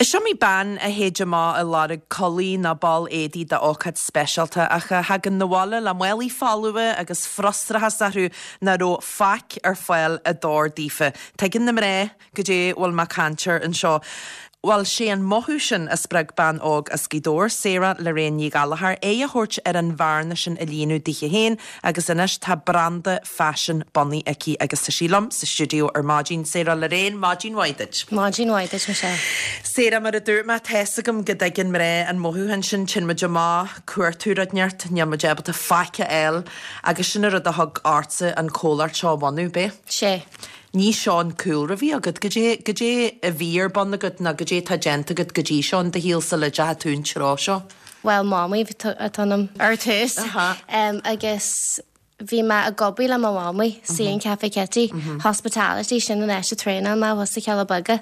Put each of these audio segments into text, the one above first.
Is iomaí bean a théid amach ag lorg culaith nó ball éadaigh d'ócáid speisialta ach a thagann 'na bhaile le málaí folmha agus frustrachas orthu nach raibh faic ar fáil a d'fhóir daofa. Tuigeann na mná goidé a bhfuil mé ag caint air anseo. Bhuel, sé an mothú sin a spreag bean óg as Gaoth Dobhair, Sarah Lorraine Ní Ghallchóir, aghaidh a thabhairt ar an bhearna sin a líonadh dithe féin agus anois tá branda faisin bunaithe aici agus tá sí liom sa stiúideo ar maidin. Sarah Lorraine, maidin mhaith duit. Maidin mhaith duit, Michelle. Sarah, mar a dúirt mé, tá's agam go dtuigeann mná an mothúchán sin, téann muid amach, cuartú rud inteacht, níl muid ábalta faic a fháil agus sin an rud a thug ortsa an comhlacht seo a bhunú, b'é? Sé. Ní seo an cúlra a bhí agat. Goidé, goidé a bhí ar bun agat nó goidé atá déanta agat go dtí seo in do shaol sula dteachaigh tú an treo seo? Bhuel, mamaí atá ionam ar tús agus bhí mé ag obair le mo mhamaí sa an Café Kitty, hospitality, sin an áit a traenáil mé thuas sa Chealla Beaga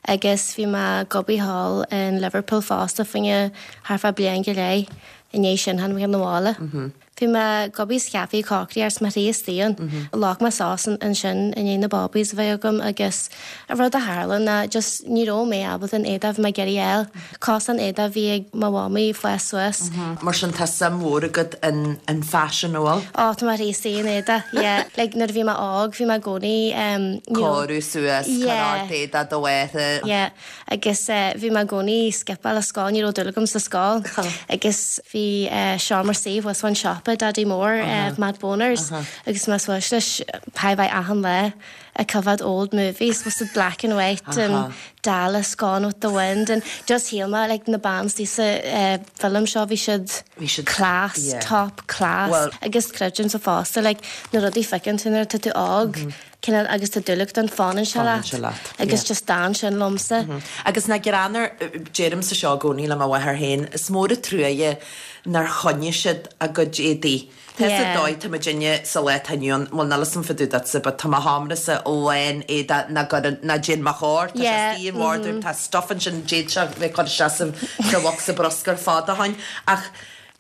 agus bhí mé ag obair thall in Liverpool fosta fá choinne thart fá bliain go leith i ndiaidh sin tháinig mé 'na bhaile. Bhí mé ag obair sa chaife ag cócaireacht is mo chroí istigh ann. Leag mé sos ansin i ndiaidh na bábaís a bheith agam agus an rud a tharla ná just ní raibh mé ábalta an éadach a bhí mé ag iarraidh a fháil. Cosúil an éadach a bhí ag mo mhamaí ag fás suas. Mar sin tá suim mhór agat in faisean, an bhfuil? Ó tá mo chroí istigh in éadach, yeah. Like nuair a bhí mé óg bhí mé i gcónaí you know. Cóiriú suas, cur ort éadach do mháthar. Yeah. Agus bhí mé i gcónaí skipeáil an scoil, ní raibh dúil agam sa scoil. Agus bhí seomra suí thuas fán siopa, Daidí Mór, Matt Bonner's, agus bhí mé suas leis chóir a bheith achan lá ag coimhéad old movies, was it black and white and Dallas, Gone with the Wind and just shíl mé like na ban istigh sa film seo bhí siad class, top class. Agus creidimse fosta like na rudaí a fheiceann tú nuair atá tú óg, cineál agus tá dúil agat ann fanann sé leat agus just d'fhan sin liomsa. Agus nach greannmhar, deirimse seo i gcónaí le mo mháthair féin, is mór an truaighe nár choinnigh siad a gcuid éadaí. Tá sa dóigh, tá muidinne sa lá atá inniu ann, bhuel níl 'fhios a'm fá dtaobh duitse but tá mo sheomrasa lán éadaigh nach gcuireann, nach dtéann mo chóir, tá sé istigh in wardrobe, tá stuff ansin d'fhéadfadh sé bheith curtha isteach sa bhocsa bruscair fada ó shin ach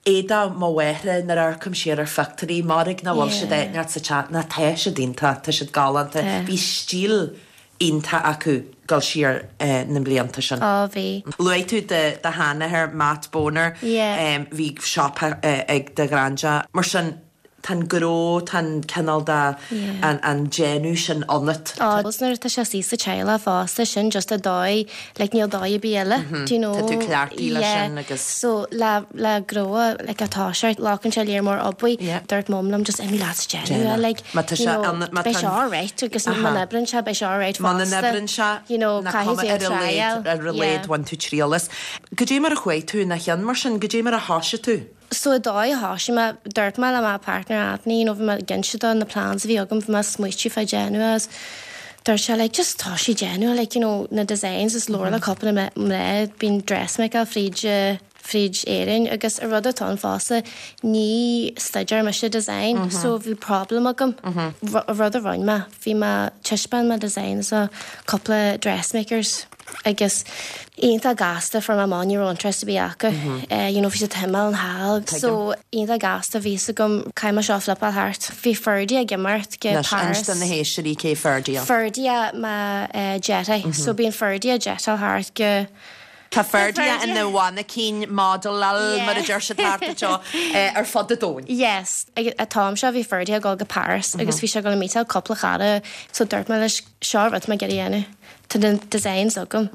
Éadach mo mháthara nuair a amharcaim siar ar phictiúirí, mairg nach bhfuil siad áit inteacht sa teach, ná tá siad iontach, tá siad galánta. Bhí stíl iontach acu dul siar na mblianta sin. Á bhí. Luaigh tú do sheanathair Matt Boner, bhí siopa ag do ghraindea. Mar sin, Tá an gnó, tá an cineál de, an déanamh sin ionat. Á, agus nuair atá sé istigh sa teaghlach fosta, sin just an dóigh, like níl dóigh ar bith eile, do you know. Tá tú cleachtaithe leis sin agus. So le, le gnó, like atá sé, glacann sé léar mór obair, dúirt mum liom just imigh leat is déan é, like, Má tá you sé know, ann, má beidh tá sé an. alright agus má n-oibreann sé, beidh sé alright Má fosta, n-oibreann sé, you know, nach caithfidh cuma tú ar a triail, laghad, ar a laghad yeah. bhain tú triail as. Goidé mar a chuaigh tú ina chionn mar sin, goidé mar a thoisigh tú? So an dóigh a thoisigh mé, dúirt mé le mo partner Anthony, you know, bhí mé ag inse dó na plans a bhí agam, bhí mé ag smaoitiú fá déanamh agus dúirt sé like just toisigh déanamh like you know na designs is labhair le cúpla mná bíonn dressmakeáil fríd fríd Éirinn agus an rud atá ann fosta ní stuidéar mise design so bhí problem agam rud a rinne mé bhí mé taispeáin mo designs do cúpla dressmakers. Agus iontach gasta fuair mé amach ní raibh interest ar bith acu. You know bhí siad timpeall an hall. So iontach gasta bhí fhios agam caithfidh mé seo a flipáil thart. Bhí Ferdia ag imeacht go Anois, Paris. inis do na héisteoirí cé Ferdia. Ferdia mo deartháir. So bíonn Ferdia ag jetáil thart go. Tá Ferdia ina mhainicín, model, mar a deir siad thart anseo, ar fud an domhain. Yes. Ag an t-am seo bhí Ferdia ag dul go Paris agus bhí sé ag dul a meetáil cúpla cara so dúirt mé leis seo rud mé ag iarraidh a dhéanamh. Tá na designs agam.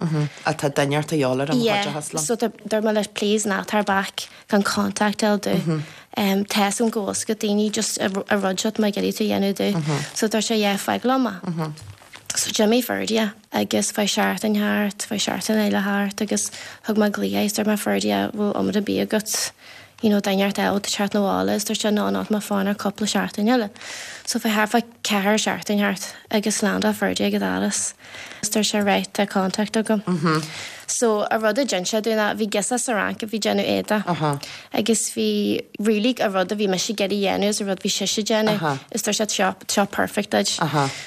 Á tá duine ort a dhul ar an Yeah, chuideachas liom. so dúirt mé leis please ná tabhair bac gan contact a fháil domh. Tá fhios agam go bhfuil fhios agat daoine just an rud seo tá mé ag iarraidh tú a dhéanamh domh. So dúirt sé yeah fág liom é. So d'imigh Ferdia agus chuaigh seachtain thart, chuaigh seachtain eile thart agus thug mé glaoch air is dúirt mé Ferdia bhfuil iomad ar bith agat you know duine ort eile teacht 'na bhaile is dúirt sé no no tá mé ag fanacht cúpla seachtain eile. So chuaigh thart fá ceathrar seachtain thart agus landáil Ferdia ag an doras is dúirt sé right tá contact agam. So an rud a d'inis sé dúinn ná bhí girseach sa Fhrainc a bhí déanamh éadaigh agus bhí really an rud a bhí mise ag iarraidh dhéanamh is an rud bhí sise ag déanamh is dúirt sé seo seo perfect duit.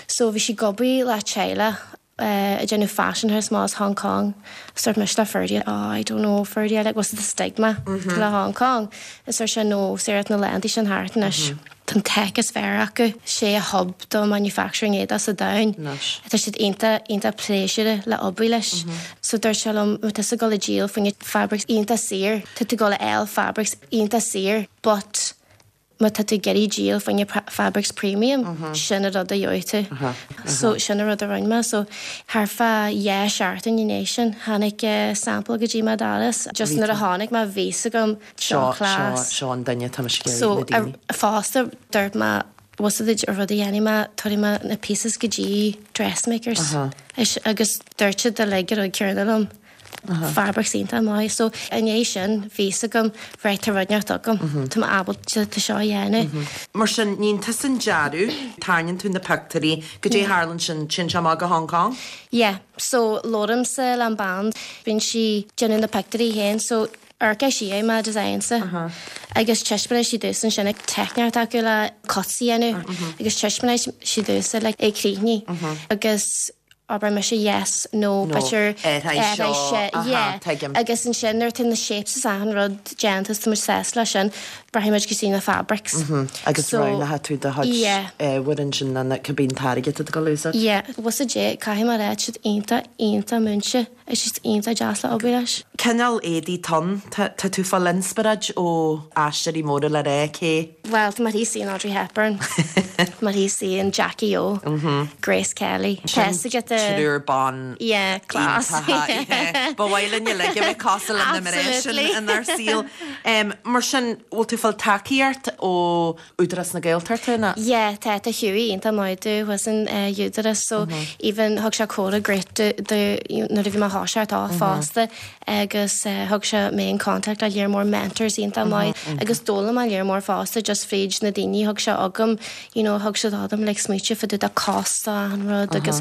So bhí sí ag obair le teaghlach ag déanamh fashion house amach as Hong Kong is dúirt mise le Ferdia oh I don't know Ferdia like what's the stigma le Hong Kong is dúirt sé no Sarah tá na laethanta sin thart anois. Tá an tech is fearr acu. Sé a hub do manufacturing éadach sa domhan. Anois. Tá siad iontach, iontach pléisiúrtha le obair leis. So dúirt sé liom, má tá tusa ag dul ag díol fá choinne fabrics iontach saor, tá tú ag dul a fháil fabrics iontach saor but má tá tú ag iarraidh díol fá choinne fabrics premium, sin an rud a gheobhaidh tú. So sin an rud a rinne mé. So thart fá dha seachtain i ndiaidh sin, tháinig sample go dtí mo doras. Just nuair a chonaic mé, bhí 'fhios agam Seo, seo, seo an duine atá mise ag iarraidh, So, na daoine. fosta, dúirt mé, bhfuil 'fhios agat an rud a dhéanfaidh mé, tabharfaidh mé na pieces go dtí dressmakers. Is, agus dúirt siad uilig an rud céanna liom. Fabrics iontach maith. So, i ndiaidh sin, bhí 'fhios agam, right, tá rud inteacht agam. Tá mé ábalta seo a dhéanamh. Mar sin, níonn tusa an dearadh, tarraingíonn tú na pictiúirí, goidé a tharlaíonn ansin, téann sé amach go Hong Kong? Yeah. So, labhraímse le an bean, bíonn sí ag déanamh na pictiúirí féin, so, Amharcfaidh sí ar mo designs-sa agus taispeánfaidh sí domhsa ansin ag teicneoireacht acu le cuts a dhéanamh agus taispeánfaidh sí domhsa like é críochnaithe agus abair mise yes, no, b'fhéidir athraigh seo, yeah agus ansin nuair atá na shapes is achan rud déanta is tá muid sásta leis sin, rachaidh muid go dtí na fabrics. Agus roghnóidh tú do chuid ábhair ansin nó cibé an táirge atá tú ag dul a úsáid. Yeah, bhfuil 'fhios agat, caithfidh mé a rá, tá siad iontach, iontach múinte. Is siad iontach deas le obair leis. Cineál éadaí atá ann. Tá tú ag fáil inspioráid ó aisteoirí móra le rá, cé? Bhuel, tá mé ar tí suí in Audrey Hepburn, tá mé ar tí suí in Jackie O, Grace Kelly. Sin triúr ban Yeah, class. iontacha. Ba mhaith linn uilig a bheith cosúil le na mná sin inár saol. Mar sin, bhfuil tú ag fáil tacaíocht ó Údarás na Gaeltachta ná? Yeah, tá, tá Hughie iontach maith domh thuas in Údarás so even thug sé comhairle great do nuair a bhí mé ag toiseacht off fosta agus thug sé mé in contact le lear mór mentors iontach maith agus d'fhoghlaim mé lear mór fosta just fríd na daoine thug sé agam you know thug siad agam like smaointe fá dtaobh de cost achan rud agus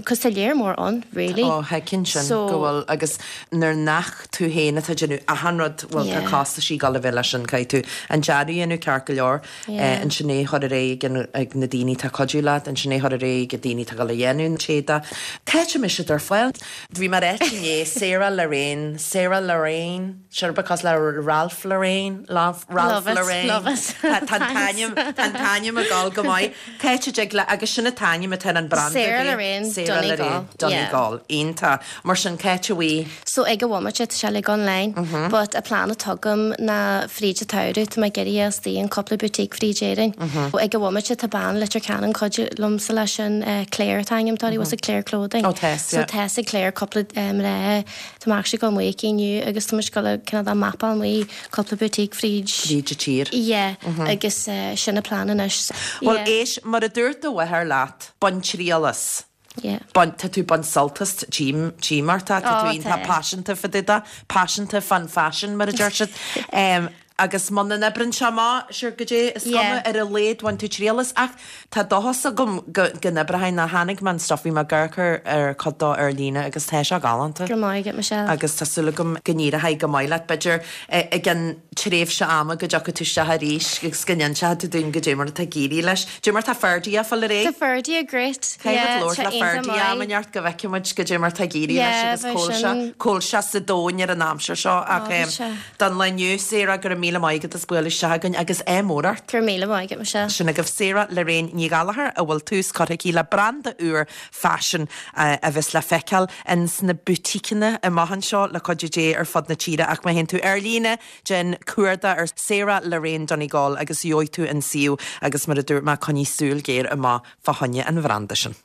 cos tá lear mór ann really. Ó thuigfinn sin go bhfuil agus nuair nach tú féin atá ag déanamh achan rud, bhuel tá costaisí ag dul a bheith leis sin, caithfidh tú an dearadh a dhéanamh ceart go leor, ansin é a chur ar aghaidh ag ag na daoine atá ag cuidiú leat, ansin é a chur ar aghaidh ag na daoine atá ag dul a dhéanamh an t-éadach. Cá háit a mbeidh siad ar fáil? Bhí mé ag ráit inné, Sarah Lorraine, Sarah Lorraine, sure because le Ralph Lorraine, Ralph Love it, Lorraine. love it. Tá an t-ainm, tá an t-ainm ag dul go maith. Cá háit a dtig le, agus sin an t-ainm atá ar an branda Sarah Lorraine Sarah Donegal. Lorraine Donegal. Iontach. Mar sin, cá háit a bhfuil? So ag an bhomaite tá sé uilig online but an plean atá agam ná fríd an tsamhradh tá mé ag iarraidh a bheith istigh in cúpla boutique fríd Éirinn. Ag an bhomaite tá bean Leitir Ceanainn cuidiú liomsa leis sin Claire an t-ainm atá uirthi bhfuil 's a'd Claire Clothing. Oh tá, So tá 's ag Claire cúpla mná tá mé actually ag dul amuigh aici inniu agus tá muid ag dul a cineál de mapáil amuigh cúpla boutique fríd. Fríd an tír. Yeah agus sin an plean anois. Bhuel éist, mar a dúirt do mháthair leat, bain triail as. Yeah. Bain, tá tú ag baint sult as, tchím, tchím ort é, tá Oh, tú iontach tá. paiseanta fá dtaobh de, paiseanta fán faisean mar a deir siad. Em, agus muna n-oibreann sé amach, sure, goidé, is cuma, Yeah. ar a laghad bhain tú triail as. Ach tá dóchas agam go, go n-oibreoidh nó chonaic mé an stuff, bhí mé ag amharc ar, ar cuid dó ar líne agus tá sé galánta. Go raibh maith agat, Michelle. Agus tá súil agam go n-éireoidh go maith leat, b'fhéidir, i gceann tréimhse ama go dtiocfaidh tú isteach arís agus go n-inseoidh tú dúinn goidé mar atá ag éirí leis. Goidé mar atá Ferdia ag fáil ar aghaidh. Tá Ferdia great. Caithfidh Yeah, muid tá labhairt le iontach Ferdia maith. am inteacht go bhfeicfidh muid goidé mar atá ag éirí leis Yeah, agus bheadh cá bhfuil sé, sin. cá bhfuil sé sa domhan ar an aimsir seo ach Ó, bhí sé. don lá inniu, Sarah, go raibh míle maith agat as bualadh isteach againn agus ádh mór ort. Go raibh míle maith agat, Michelle. Sin agaibh Sarah Lorraine Ní Ghallchóir a bhfuil tús curtha aici le branda úr faisin a bheas le feiceáil ins na boutiqueanna amach anseo le cuidiú Dé ar fud na tíre ach má théann tú ar líne déan cuardach ar Sarah Lorraine Donegal agus gheobhaidh tú an suíomh agus mar a dúirt mé coinnigh súil ghéar amach fá choinne an bhranda sin.